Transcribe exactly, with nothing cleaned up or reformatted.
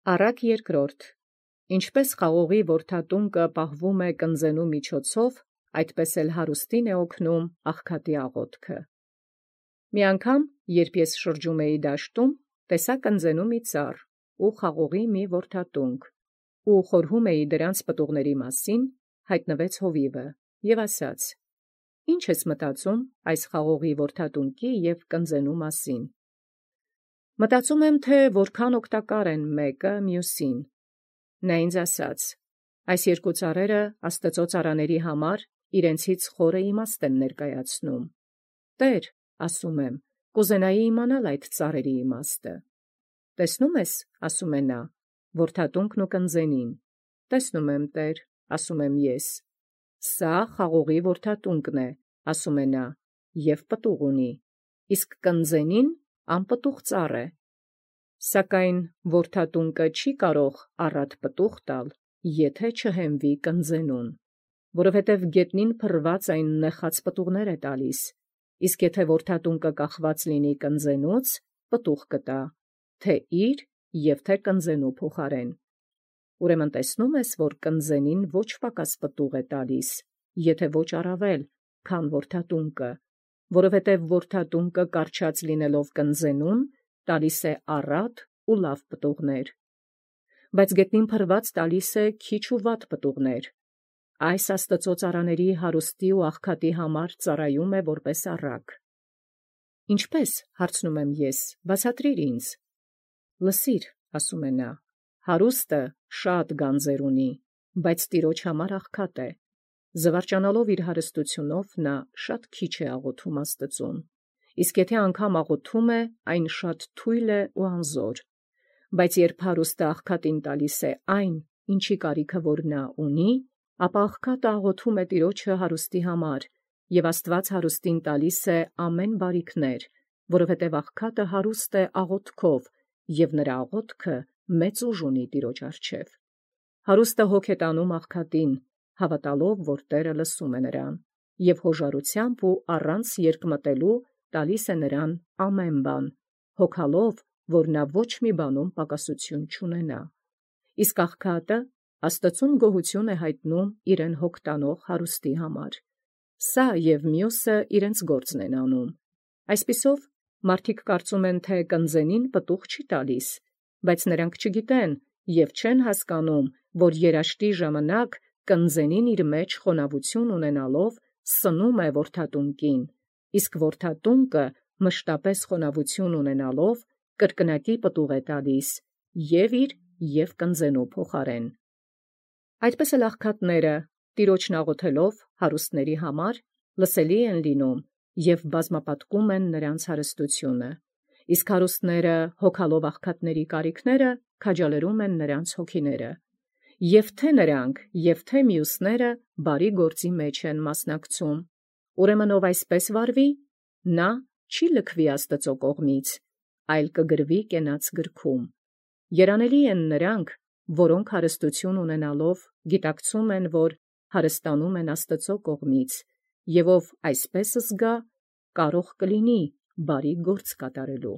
Առակ երկրորդ. Ինչպես խաղողի որդատունկը պահվում է կնձենու միջոցով, այդպես էլ հարուստին է օգնում աղքատի աղոթքը։ Մի անգամ, երբ ես շրջում էի դաշտում, տեսա կնձենու մի ծառ ու խաղողի մի որդատունկ, ու խորհում էի դրանց պտուղների մասին, հայտնվեց հովիվը և ասաց. «Ի՞նչ ես մտածում այս խաղողի որդատունկի և կնձենու մասին»։ Մտածում եմ, թե որքան օգտակար են մեկը մյուսին։ Նա ինձ ասաց. «Այս երկու ծառերը Աստծո ծառաների համար իրենցից խորը իմաստ են ներկայացնում»։ «Տե՛ր, ասում եմ, կուզենայի իմանալ այդ ծառերի իմաստը»։ «Տեսնո՞ւմ ես, ասում է նա, որդատունկն ու կնձենին»։ «Տեսնում եմ, Տեր, ասում եմ ես»։ «Սա խաղողի որդատունկն է, ասում է նա, և պտուղ ունի, իսկ կնձենին անպտուղ ծառ է։ Սակայն որդատունկը չի կարող առատ պտուղ տալ, եթե չհենվի կնձենուն, որովհետև գետնին փռված այն նեխած պտուղներ է տալիս, իսկ եթե որդատունկը կախված լինի կնձենուց, պտուղ կտա, թե՛ իր և թե՛ կնձենու փոխարեն։ Ուրեմն տեսնում ես, որ կնձենին ոչ պակաս պտուղ է տալիս, եթե ոչ առավել, քան որդատունկը, որովհետև որդատունկը կառչած լինելով կնձենուն, տալիս է առատ ու լավ պտուղներ, բայց գետնին փռված տալիս է քիչ ու վատ պտուղներ։ Այս Աստծո ծառաների հարուստի ու աղքատի համար ծառայում է որպես առակ։ Ինչպե՞ս, հարցնում եմ ես, բացատրիր ինձ։ Լսիր, ասում է նա, հարուստը շատ գանձեր ունի, բայց տիրոջ համար աղքատ է։ Զվարճանալով իր հարստությունով նա շատ քիչ է աղոթում Աստծուն, իսկ եթե անգամ աղոթում է, այն շատ թույլ է ու անզոր։ Բայց երբ հարուստը աղքատին տալիս է այն, ինչի կարիքը որ նա ունի, ապա աղքատը աղոթում է տիրոջը հարուստի համար, և Աստված հարուստին տալիս է ամեն բարիքներ, որովհետև աղքատը հարուստ է աղոթքով, և նրա աղոթքը մեծ ուժ ունի տիրոջ առջև։ Հարուստը հոգ է տանում աղքատին, հավատալով, որ Տերը լսում է նրան, և հոժարությամբ ու առանց երկմտելու տալիս է նրան ամեն բան, հոգալով, որ նա ոչ մի բանում պակասություն չունենա։ Իսկ աղքատը Աստծուն գոհություն է հայտնում իրեն հոգ տանող հարուստի համար։ Սա և մյուսը իրենց գործն են անում։ Այսպիսով, մարդիկ կարծում են, թե կնձենին պտուղ չի տալիս, բայց նրանք չգիտեն և չեն հասկանում, որ երաշտի ժամանակ կնձենին իր մեջ խոնավություն ունենալով սնում է որդատունկին, իսկ որդատունկը մշտապես խոնավություն ունենալով կրկնակի պտուղ է տալիս և՛ իր և կնձենու փոխարեն։ Այդպես էլ աղքատները, տիրոջն աղոթելով հարուստների համար, լսելի են լինում և բազմապատկում են նրանց հարստությունը, իսկ հարուստները հոգալով աղքատների կարիքները քաջալերում են նրանց հոգիները, և թե՛ նրանք, և թե՛ մյուսները բարի գործի մեջ են մասնակցում։ Ուրեմն ով այսպես վարվի, նա չի լքվի Աստծո կողմից, այլ կգրվի կենաց գրքում։ Երանելի են նրանք, որոնք հարստություն ունենալով գիտակցում են, որ հարստանում են Աստծո կողմից, և ով այսպես զգա, կարող կլինի բարի գործ կատարելու։